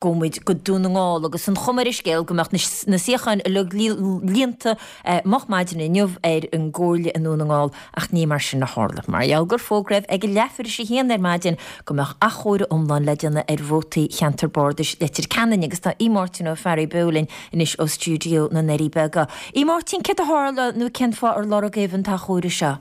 Gabhfaidh muid go Dún na nGall agus an chuma ar an scéal go mbeadh na suíocháin uilig líonta moch maidin inniu ar an gComhairle i nDún na nGall ach ní mar sin a tharla. Mar gheall gur fógraíodh ag leathuair tar éis a haon ar maidin go mbeadh athchomhaireamh iomlán le déanamh ar vótaí cheantar bardais Leitir Ceanainn agus tá Aodh Máirtín Ó Fearraigh beo linn anois ó stiúideo na nDoirí Beaga. A Mháirtín, céard a tharla nó cén fáth ar lorgaíodh an t-athchomhaireamh seo?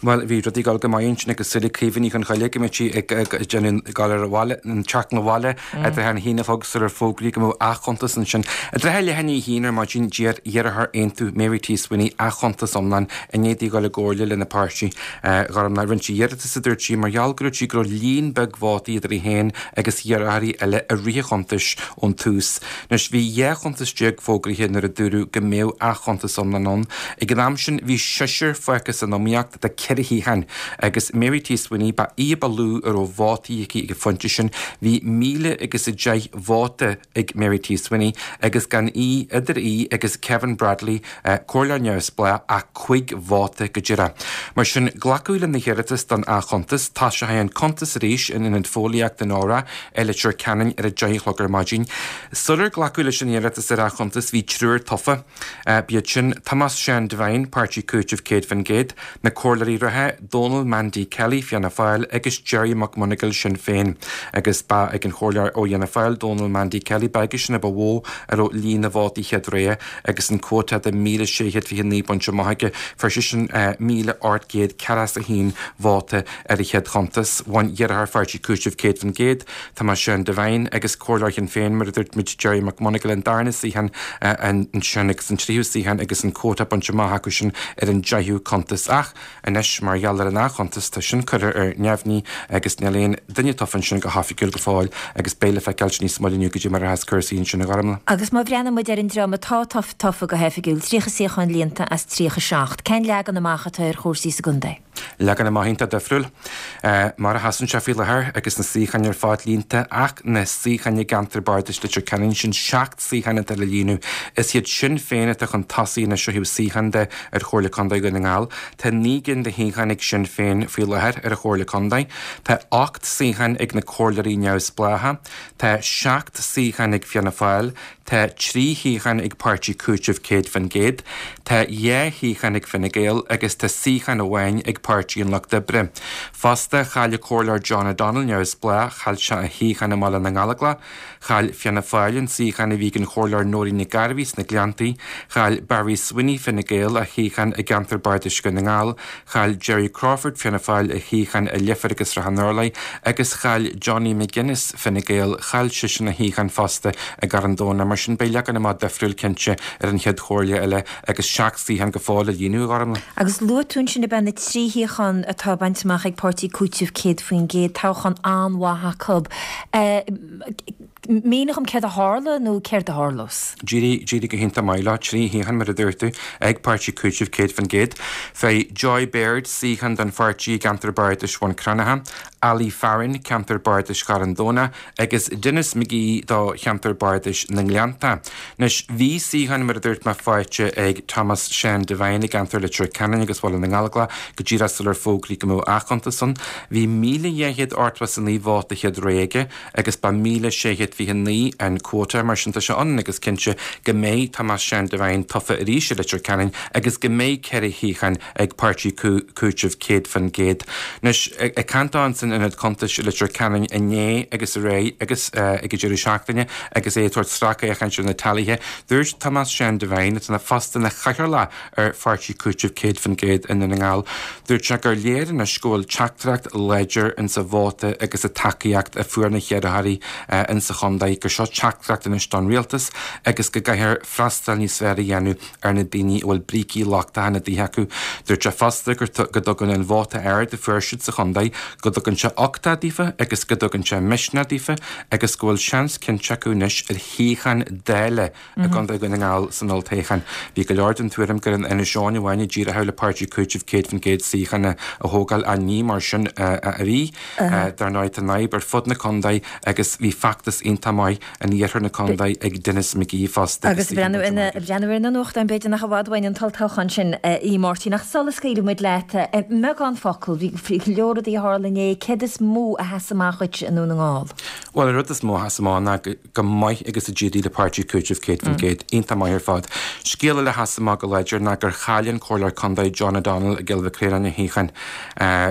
Bhuel, bhí rudaí ag dul go maith ansin agus súil ag Caoimhe Ní Chonchoille go mbeadh sí ag déanamh ag dul ar an bhaile, an teacht 'na bhaile i dtrátha an haon a chlog sular fógraíodh go mbeadh athchuntas ansin. I dtrátha leath i ndiaidh a haon ar maidin d'iarr iarrthóir Aontú, Mary T. Sweeney, athchuntas iomlán i ndiaidh di dhul i gcomhairle lena páirtí. Ghormlaith. Rinne sí iarratas, a dúirt sí, mar gheall go raibh sí go raibh líon beag vótaí idir í féin agus iarrthóirí eile i rith an chuntais ón tús. Anois, bhí 12 chuntas fógraithe nuair a dúradh go mbeadh athchuntas iomlán ann. Ag an am sin, bhí seisear fágtha san iomaíocht do cheithre shuíochán, agus Mary T. Sweeney, ba í a ba lú a raibh vótaí aici ag an phointe sin. Bhí 1,010 vóta ag Mary T. Sweeney, agus gan í, idir í agus Kevin Bradley, comhairleoir neamhspleách, ach cúig vóta go díreach. Mar sin, glacadh lena hiarratas don athchuntas. Toiseoidh an cuntas arís in Ionad Fóillíochta Nóra i Leitir Ceanainn ar a deich a chlog ar maidin. Sular glacadh leis an iarratas ar athchuntas bhí triúr tofa. B'iad sin, Tomás Seán Devine, Páirtí Cúitimh 100%, na comhairleoirí reatha, Dónal Mandy Kelly, Fianna Fáil, agus Gerry McMonagall, Sinn Féin. Agus ba ag an chomhairleoir ó Fhianna Fáil, Dónal Mandy Kelly, ba aigesean a ba mhó a raibh líon na vótaí chéad rogha agus an cuóta de 1,629 bainte amach aige. Fuair seisean 1,841 vóta ar a chéad chuntas. Bhain iarrthóir Pháirtí Cúitimh 100%, Tomás Seán Devine, agus comhairleoir Shinn Féin, mar a dúirt muid, Gerry McMonagall, an darna suíochán ansin agus an tríú suíochán agus an cuóta bainte amach acu sin ar an deichiú cuntas. Ach anois, mar gheall ar an athchuntas, tá sin curtha ar neamhní agus níl aon duine tofa ansin go hoifigiúil go fóill agus beidh le feiceáilt níos moille inniu goidé mar a bheas cúrsaí ansin a Ghormlaith. Agus má bhreathnaíonn muid ar an dream atá tofa go hoifigiúil, 30 suíochán líonta as 37, cén leagan amach atá ar chúrsaí sa gcontae? Leagan amach iontach difriúil mar a sheasann sé faoi láthair agus na suíocháin ar fad líonta ach na suíocháin i gceantar bardais Leitir Ceanainn, sin 7 suíochán atá le líonadh. Is iad Sinn Féin atá chun tosaigh anois ó thaobh suíochán de ar Chomhairle Contae Dhún na nGall. Tá 9 gcinn de shuíocháin ag Sinn Féin faoi láthair ar an Chomhairle Contae. Tá 8 suíochán ag na comhairleoirí neamhspleácha. Tá 7 suíochán ag Fianna Fáil. Tá 3 shuíochán ag Páirtí Cúitimh 100%, tá 2 shuíochán ag Fine Gael agus tá suíochán amháin ag Páirtí an Lucht Oibre. Fosta, chaill an Comhairleoir John O'Donnell, Neamhspleách, chaill sé a shuíochán i mBaile na nGallóglach, chaill Fianna Fáil an suíochán a bhí ag an Chomhairleoir Nóirín Nic Gairbhí sna Gleanntaí, chaill Barry Sweeney, Fine Gael, a shuíochán i gceantar bardais Dhún na nGall, Chaill Gerry Crawford, Fianna Fáil, a shuíochán i Leifear agus Srath an Urláir agus chaill Johnny McGuinness, Fine Gael, chaill seisean a shuíochán fosta i gCarn Domhnach. Mar sin beidh leagan amach difriúil cinnte ar an chéad chomhairle eile agus 7 suíochán go fóill le líonadh, a Ghormlaith. Agus luaigh tú ansin ab ea na 3 shuíochán atá bainte amach ag Páirtí Cúitimh 100%, toghchán an-mhaith acu. Mínigh dom céard a tharla nó céard a tharlós? D'éirigh, d'éirigh go hiontach maith leo, 3 shuíochán mar a dúirt tú, ag Páirtí Cúitimh 100%. Fuair Joy Baird suíochán don pháirtí i gceantar bardais Bhun Cranncha, Ali Farren, ceantar bardais Charn Domhnach, agus Denis McGee do cheantar bardais na nGleannta. Anois, bhí suíochán mar a dúirt mé faighte ag Thomas Sean Devine i gceantar Leitir Ceanainn agus Bhaile na nGallóglach go díreach sular fógraíodh go mbeadh athchuntas ann. Bhí 1,289 vóta chéad rogha aige. agus ba 1,629 an cuóta, mar sin tá sé ionann agus cinnte go mbeidh Tomás Seán Devine tofa arís i Leitir Ceanainn agus go mbeidh 4 shuíochán ag Páirtí Cúitimh 100%. Anois, ag caint dó san Ionad Cuntais i Leitir Ceanainn inné agus aréir agus ag an deireadh seachtaine agus é ag tabhairt sracfhéachaint ar na tealaithe, dúirt Tomás Seán Devine, atá fosta ina chathaoirleach ar Pháirtí Cúitimh 100% i nDún na nGall. Dúirt sé gur léir anois go bhfuil teachtaireacht láidir insa vóta agus sa tacaíocht a fuair na hiarrthóirí insa chontae, gur seo teachtaireacht anois don rialtas agus go gcaithfear freastal níos fearr a dhéanamh ar na daoine a bhfuil brící lochtacha ina dtithe acu. Dúirt sé fosta go dtugann an vóta ard a fuair siad sa chontae, go dtugann sé uchtach daofa agus go dtugann sé misneach daofa agus go bhfuil seans cinnte acu anois ar shuíochán Dála I gContae Dhún na nGall san olltoghchán, bhí go leor den tuairim gur in Inis Eoghain amháin a d'éireodh le Páirtí Cúitimh 100% suíochán a thógáil ach ní mar sin a bhí. Dar ndóigh tá an fhadhb ar fud na contae agus bhí feachtas iontach. iontach maith in iarthar na contae ag Denis McGee fosta agus breathnú ar na nuachtáin, b'fhéidir nach i bhfad uainn an t-olltoghchán sin, a Mháirtín. Ach sula scaoilfidh muid leat, i mbeagán focal, bhí go leor rudaí a tharla inné, céard is mó a sheas amach dhuit i nDún na nGall? Bhuel, an rud is mó a sheas amach ná go maith agus a d'éirigh le Páirtí Cúitimh 100%. Iontach maith ar fad. Scéal eile a sheas amach go láidir ná gur chaill an Comhairleoir Contae John O'Donnell i gCill Mhic Réanáin a shuíochán.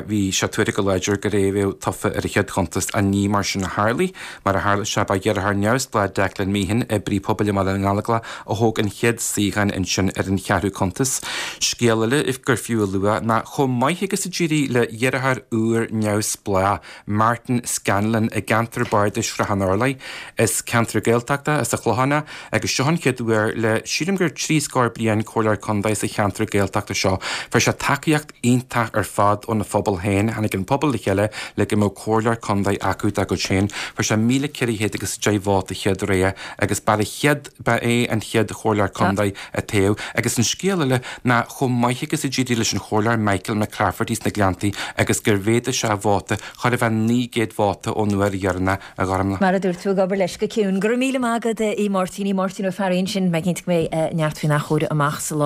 Bhí sé tuartha go láidir gur é a bheadh tofa ar an chéad chuntas ach ní mar sin a tharlaigh. Mar a tharla sé, ba dheartháir neamhspleách Declan Meehan, oibrí pobail i mBaile na nGallóglach, a thóg an chéad suíochán ansin ar an cheathrú cuntas. Scéal eile gur fiú a lua ná chomh maith agus a d'éirigh le dheartháir úr neamhspleách, Martin Scanlon i gceantar bardais Shrath an Orlaigh. Is ceantar Gaeltachta é sa Chlochán é agus seo an chéad uair le sílim gur trí scór bliain Comhairleoir Contae sa cheantar Gaeltachta seo. Fuair sé tacaíocht iontach ar fad óna phobal féin. Tháinig an pobal le chéile le go mbeadh Comhairleoir Contae acu dá gcuid féin. Fuair sé 1,400 agus 10 vóta chéad rogha agus ba chéad ba é an chéad Chomhairleoir Contae a toghadh. Agus an scéal eile ná chomh maith agus a d'éirigh leis an Chomhairleoir Michael McClafferty sna Gleanntaí agus gur mhéadaigh sé a vóta chóir a bheith 900 vóta ón uair dheireanach a Ghormlaith. Mar a dúirt tú, ag obair leis go ciúin. Go raibh míle maith agat, a Mháirtín. Máirtín Ó Fearraigh ansin. Mé cinnte go mbeidh neart faoin athchomhaireamh amach sa lá.